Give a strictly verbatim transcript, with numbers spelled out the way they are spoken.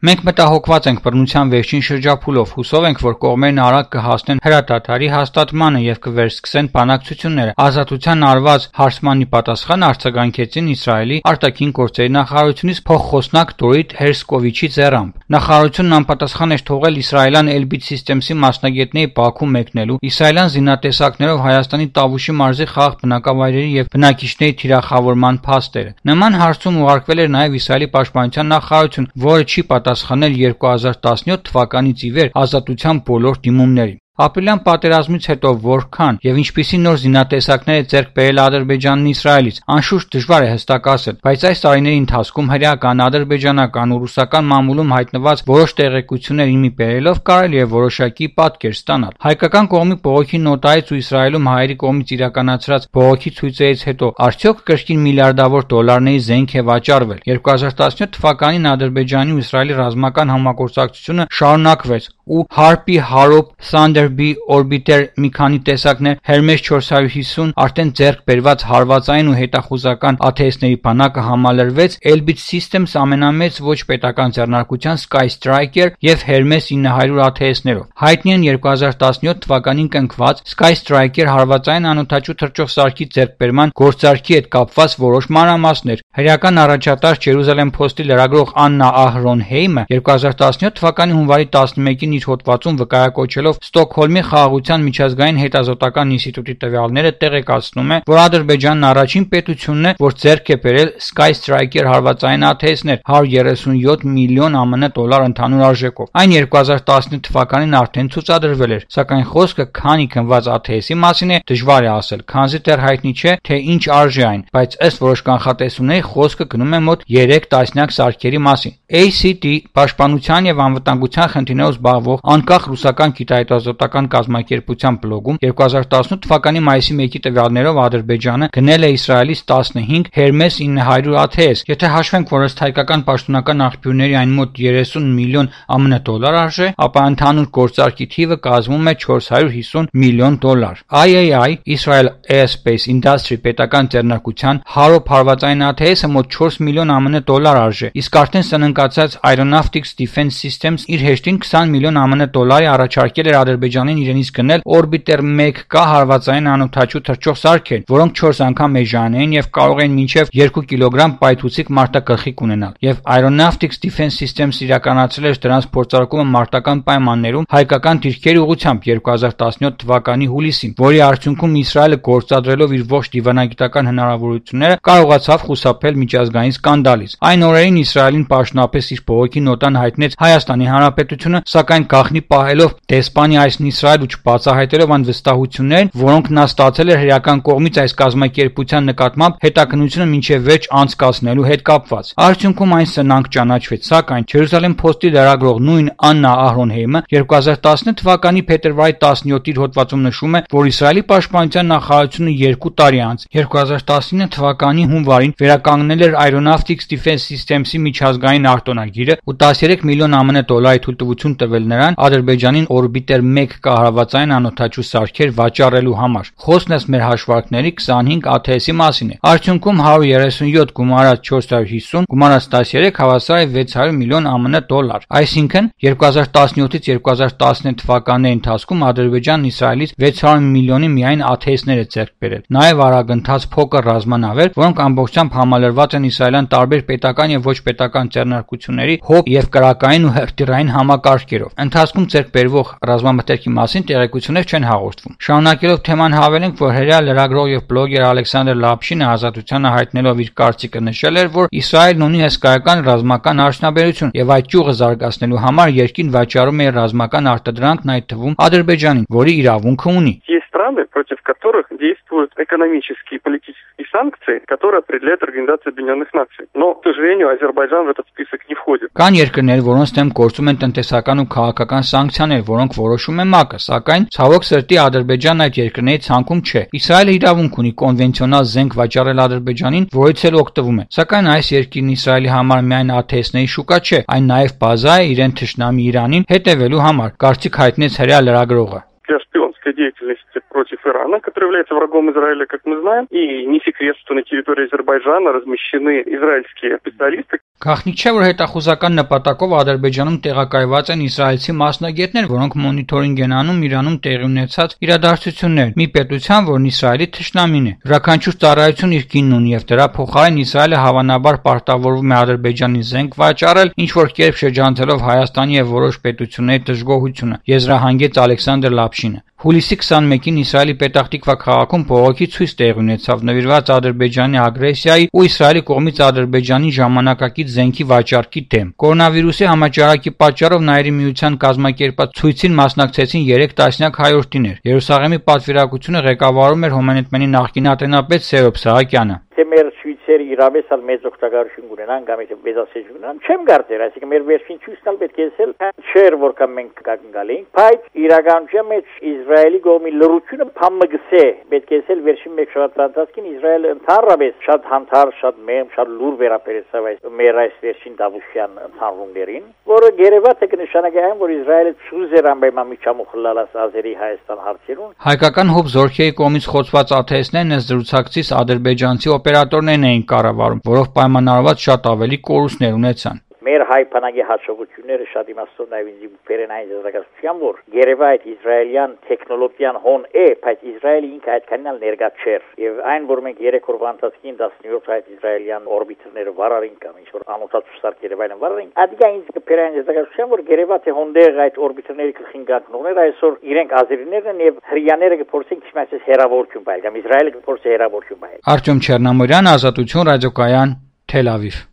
Մենք մտահոգված ենք բռնության վերջին շրջափուլով, հուսով ենք, որ կողմերն արագ կհասնեն հրադադարի հաստատմանը և կվերսկսեն բանակցությունները։ Ազատության արված հարցմանի պատասխան արձագանքեցին Իսրայելի արտաքին գործերի նախարարությունից փոխխոսնակ Դորիթ Հերսկովիչի ձեռամբ։ Նախարարությունն անպատասխան էր թողել իսրայելյան Elbit Systems-ի մասնագետների Բաքու մեկնելու, իսրայելյան զինատեսակներով Հայաստանի Տավուշի մարզի խաղաղ բնակավայրերի և բնակիչների թիրախավորման փաստերը։ Նման հարցում ուղարկվել էր նաև Իսրայելի պաշտպանության նախարարություն, որը չի պատասխանել երկու հազար տասնյոթ թվականից ի վեր ազատության բոլոր դիմումներին։ Ապրիլյան պատերազմից հետո որքան և ինչպիսի նոր զինատեսակներ է ձեռք բերել Ադրբեջանն Իսրայելից, անշուշտ դժվար է հստակ ասել, բայց այս տարիների ընթացքում հրեական, ադրբեջանական ու ռուսական մամուլում հայտնված որոշ տեղեկություններ իմի բերելով կարելի է որոշակի պատկեր ստանալ։ Հայկական կողմի բողոքի նոտայից ու Իսրայելում հայերի կողմից իրականացրած բողոքի ցույցերից հետո արդյոք կրկին միլիարդավոր դոլարների զենք է վաճառվել։ երկու հազար տասնյոթ թվականին Ադրբեջանի ու Իսրայելի ռազմական համագործակցությունը շարունակվեց ու Harpy, Harop, Thunderbee, Orbiter մի քանի տեսակներ, Hermes չորս հարյուր հիսուն արդեն ձեռք բերված հարվածային ու հետախուզական աթեհների բանակը համալրվեց Elbit Systems ամենամեծ ոչ պետական ձեռնարկության Sky Striker և Hermes ինը հարյուր աթեհներով։ Հայտնի են երկու հազար տասնյոթ թվականին կնքված Sky Striker հարվածային անօդաչու թռչող սարքի ձեռքբերման գործարքի հետ կապված որոշ մանրամասներ։ Հրեական առաջատար Jerusalem Post-ի լրագրող Աննա Ահրոն-Հեյմը երկու հազար տասնյոթ թվականի հունվարի տասնմեկին իր հոդվածում վկայակոչելով Ստոկհոլմի խաղաղության միջազգային հետազոտական ինստիտուտի տվյալները տեղեկացնում է, որ Ադրբեջանն առաջին պետությունն է, որ ձեռք է բերել Sky Striker հարվածային աթեհներ հարյուր երեսունյոթ միլիոն ԱՄՆ դոլար ընդհանուր արժեքով։ Այն երկու հազար տասնութ թվականին արդեն ցուցադրվել էր, սակայն խոսքը քանի գնված աթեհի մասին է դժվար է ասել, քանզի դեռ հայտնի չէ, թե ինչ արժի այն, բայց ըստ որոշ կանխատեսումների խոսքը գնում է մոտ երեք տասնյակ սարքերի մասին։ A C T պաշտպանության և անվտանգության խնդիրներով զբաղվող անկախ ռուսական գիտահետազոտական կազմակերպության բլոգում երկու հազար տասնութ թվականի մայիսի մեկի տվյալներով Ադրբեջանը գնել է Իսրայելից տասնհինգ Hermes ինը հարյուր աթեհ։ Եթե հաշվենք, որ ըստ հայկական պաշտոնական աղբյուրների այն մոտ երեսուն միլիոն ԱՄՆ դոլար արժե, ապա ընդհանուր գործարքի թիվը կազմում է չորս հարյուր հիսուն միլիոն դոլար։ I A I Israel Aerospace Industry պետական ձեռնարկության Harop հարվածային աթեհը մոտ չորս միլիոն ԱՄՆ դոլար արժե, իսկ արդեն սնանկացած Aeronautics Defense Systems իր հեշտին քսան միլիոն ԱՄՆ դոլարի առաջարկել էր Ադրբեջանին իրենից գնել Orbiter մեկ K հարվածային անօդաչու թռչող սարքեր, որոնք չորս անգամ էժան էին և կարող էին մինչև երկու կիլոգրամ պայթուցիկ մարտագլխիկ ունենալ, և Aeronautics Defense Systems իրականացրել էր դրանց փորձարկումը մարտական պայմաններում հայկական դիրքերի ուղղությամբ երկու հազար տասնյոթ թվականի հուլիսին, որի արդյունքում Իսրայելը գործադրելով իր ողջ դիվանագիտական հնարավորությունները կարողացավ խուսափել միջազգային սկանդալից։ Այն օրերին Իսրայելին պաշտոնապես իր բողոքի նոտան հայտնեց Հայաստանի Հանրապետությունը, սակայն գաղտնի պահելով դեսպանի այսն Իսրայել ու չբացահայտելով այն վստահություններն, որոնք նա ստացել էր հրեական կողմից այս կազմակերպության նկատմամբ հետաքննությունը մինչև վերջ անցկացնելու հետ կապված։ Արդյունքում այն սնանկ ճանաչվեց, սակայն Jerusalem Post-ի լրագրող նույն Աննա Ահրոն-Հեյմը երկու հազար տասնութ թվականի փետրվարի տասնյոթի իր հոդվածում նշում է, որ Իսրայելի պաշտպանության նախարարությունը երկու տարի անց երկու հազար տասնինը թվականի հունվարին վերականգնել էր Aeronautics Defense Systems-ի միջազգային արտոնագիրը ու տասներեք միլիոն ԱՄՆ դոլարի թույլտվություն տվել նրան Ադրբեջանին Orbiter մեկ K հարվածային անօդաչու սարքեր վաճառելու համար։ Խոսքն ըստ մեր հաշվարկների քսանհինգ աթեհի մասին է։ Արդյունքում հարյուր երեսունյոթ գումարած չորս հարյուր հիսուն գումարած տասներեք հավասար է վեց հարյուր միլիոն ԱՄՆ դոլար։ Այսինքն երկու հազար տասնյոթից երկու հազար տասնութ թվականների ընթացքում Ադրբեջանն Իսրայելից վեց հարյուր միլիոնի միայն աթեհներ է ձեռք բերել։ Նաև արագընթաց փոքր ռազմանավեր, որոնք ամբողջությամբ համալրված են իսրայելյան տարբեր պետական և ոչ պետական ձեռնարկությունների հոբ և կրակային ու հրթիռային համակարգերով։ Ընթացքում ձեռք բերվող ռազմամթերքի մասին տեղեկություններ չեն հաղորդվում։ Շարունակելով թեման հավելենք, որ հրեա լրագրող և բլոգեր Ալեքսանդր Լապշինը Ազատությանը հայտնելով իր կարծիքը նշել էր, որ Իսրայելն ունի հսկայական ռազմական արդյունաբերություն և այդ ճյուղը զարգացնելու համար երկրին վաճառում է ռազմական արտադրանքն, այդ թվում Ադրբեջանին, որի իրավունքը ունի։ Страны, против которых действуют экономические и политические санкции, которые определяет Организация Объединенных Наций. Но, к сожалению, Азербайджан в этот список не входит. Կան երկրներ, որոնց դեմ գործում են տնտեսական ու քաղաքական սանկցիաներ, որոնք որոշում է ՄԱԿ-ը, սակայն ցավոք սրտի Ադրբեջանն այդ երկրների ցանկում չէ։ Իսրայելը իրավունք ունի կոնվենցիոնալ զենք վաճառել Ադրբեջանին, որից էլ օգտվում է։ Սակայն այս երկիրն Իսրայելի համար միայն աթեհների շուկա չէ, այն նաև բազա է իրեն թշնամի Իրանին հետևելու համար, կարծիք հայտնեց հրեա лерագրողը։ Для шпионской деятельности против Ирана, который является врагом Израиля, как мы знаем, и не секрет, что на территории Азербайджана размещены израильские специалисты. Գաղտնիք չէ, որ հետախուզական նպատակով Ադրբեջանում տեղակայված են իսրայելցի մասնագետներ, որոնք մոնիթորինգ են անում Իրանում տեղի ունեցած իրադարձություններ, մի պետության, որն Իսրայելի թշնամին է։ Յուրաքանչյուր ծառայություն իր գինն ունի եւ դրա փոխարեն Իսրայելը հավանաբար պարտավորվում է Ադրբեջանի զենք վաճառել, ինչ որ կերպ շրջանցելով Հայաստանի եւ որոշ պետությունների դժգոհությունը, եզրահանգեց Ալեքսանդր Լապշինը։ Հուլիսի քսաներկուին Իսրայելի Պետախտիկվա քաղաքում բողոքի ցույց տեղի ունեցավ նվիրված Ադրբեջանի ագրեսիայի ու Իսրայելի կողմից Ադրբեջանի ժամանակակից զենքի վաճառքի դեմ։ Կորոնավիրուսի համաճարակի պատճառով Նաիրի միության կազմակերպած ցույցին մասնակցեցին երեք տասնյակ հայորդիներ։ Երուսաղեմի պատվիրակությունը ղեկավարում էր Հոմանեթմենի նախկին ատենապետ Սերոբ Սահակյանը։ Մեր ցույցերը իրավես ալ մեծ օգտակարություն ունենան կամ եթե մեծացեջ ունենան չեմ կարծեր, այսինքն մեր վերջին ցույցն ալ պետք է ասել չէր որքան մենք կգալենք, բայց իրականության մեջ Իսրայելի կողմի լրությունը փամմգսե պետք է ասել վերջին մեկ շաբաթ ընթացքին Իսրայելը ընդհանրապես շատ հանդար, շատ մեմ, շատ լուր վերաբերեցավ այս մեր այս վերջին դավուշյան ընդհանրումներին, որը գերեված է կնշանակի այն, որ Իսրայելը ցույցեր ամբայնական միջամուխ լալաս Ազերի Հայաստան հարցերուն։ Հայկական հոբ զորքերի կողմից խոցված աթեստներն ըստ զրուցակցից ադրբեջանցի օպերատորներն էին կառավարում, որով պայմանավորված շատ ավելի կորուստներ ունեցան։ Մեր հայ բանակի հաջողությունները շատ իմաստով նաև ինձ բերեն այն զարգացության, որ երևա այդ իսրայելյան տեխնոլոգիան հոն է, բայց Իսրայելը ինքը այդքանին ալ ներկա չէր։ Եվ այն, որ մենք երեք օրվա ընթացքին տասնյոթ այդ իսրայելյան օրբիտերները վարարին կամ ինչ որ անօթաց սարքերը վայրեն վարարին, ադիգա ինձ կբեր այն զարգացության, որ երևա թե հոնդեր այդ օրբիտերների քխինգանքներ այսօր իրենք ազերիներն եւ հрьяաները կփորձեն քիչ մասից հերավորություն բայել կամ Իսրայելը կփորձի հերավորություն բայել։ Արտյոմ Չեռնամորյան, Ազատություն ռադիոկայան, Թել Ավիվ։